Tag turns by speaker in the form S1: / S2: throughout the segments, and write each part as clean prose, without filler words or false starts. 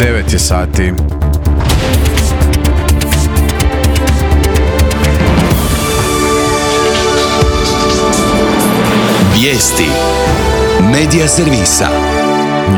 S1: 9 je sati.
S2: Vijesti Medija servisa.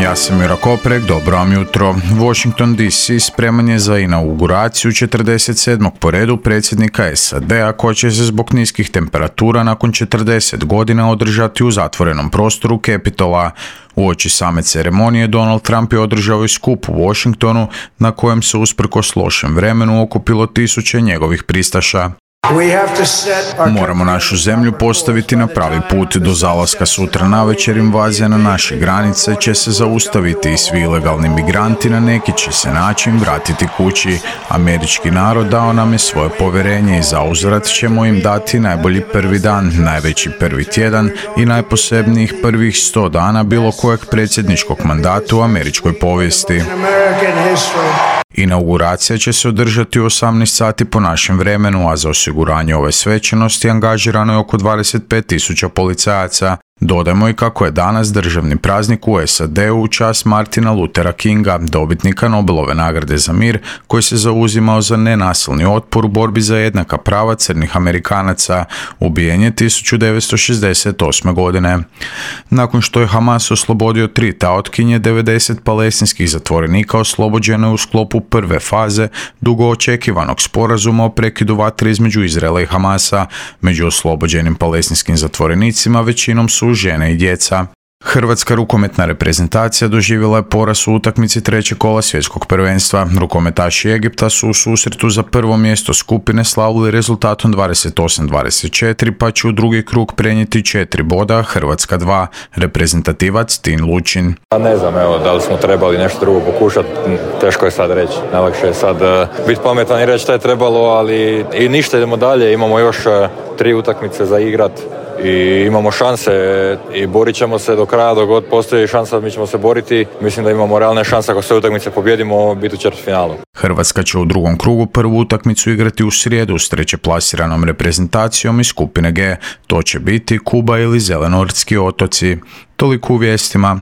S1: Ja sam Miro Koprek, dobro vam jutro. Washington DC spreman je za inauguraciju 47. po redu predsjednika SAD-a koja će se zbog niskih temperatura nakon 40 godina održati u zatvorenom prostoru Capitola. Uoči same ceremonije Donald Trump je održao i skup u Washingtonu na kojem se usprkos lošem vremenu okupilo tisuće njegovih pristaša. Moramo našu zemlju postaviti na pravi put. Do zalaska sutra navečer invazija na naše granice će se zaustaviti i svi ilegalni migranti na neki će se način vratiti kući. Američki narod dao nam je svoje povjerenje i zauzvrat ćemo im dati najbolji prvi dan, najveći prvi tjedan i najposebnijih prvih 100 dana bilo kojeg predsjedničkog mandata u američkoj povijesti. Inauguracija će se održati u 18 sati po našem vremenu, a za osiguranje ove svečanosti angažirano je oko 25.000 policajaca. Dodajmo i kako je danas državni praznik u SAD-u u čast Martina Luthera Kinga, dobitnika Nobelove nagrade za mir, koji se zauzimao za nenasilni otpor u borbi za jednaka prava crnih Amerikanaca. Ubijen je 1968. godine. Nakon što je Hamas oslobodio 3 taotkinje, 90 palestinskih zatvorenika oslobođeno je u sklopu prve faze dugo očekivanog sporazuma o prekidu vatre između Izraela i Hamasa. Među oslobođenim palestinskim zatvorenicima većinom su žene i djeca. Hrvatska rukometna reprezentacija doživjela je poraz u utakmici trećeg kola svjetskog prvenstva. Rukometaši Egipta su u susretu za prvo mjesto skupine slavili rezultatom 28-24, pa će u drugi krug prenijeti 4 boda, Hrvatska 2, reprezentativac Tin Lučin.
S3: Ne znam, da li smo trebali nešto drugo pokušati, teško je sad reći. Najlakše je sad biti pametan i reći šta je trebalo, ali i ništa, idemo dalje, imamo još 3 utakmice za igrat. I imamo šanse i borit ćemo se do kraja, dok god postoji šansa mi ćemo se boriti. Mislim da imamo realne šanse ako sve utakmice pobjedimo biti u četvrtfinalu.
S1: Hrvatska će u drugom krugu prvu utakmicu igrati u srijedu s treće plasiranom reprezentacijom iz skupine G. To će biti Kuba ili Zelenortski otoci. Toliko u vijestima.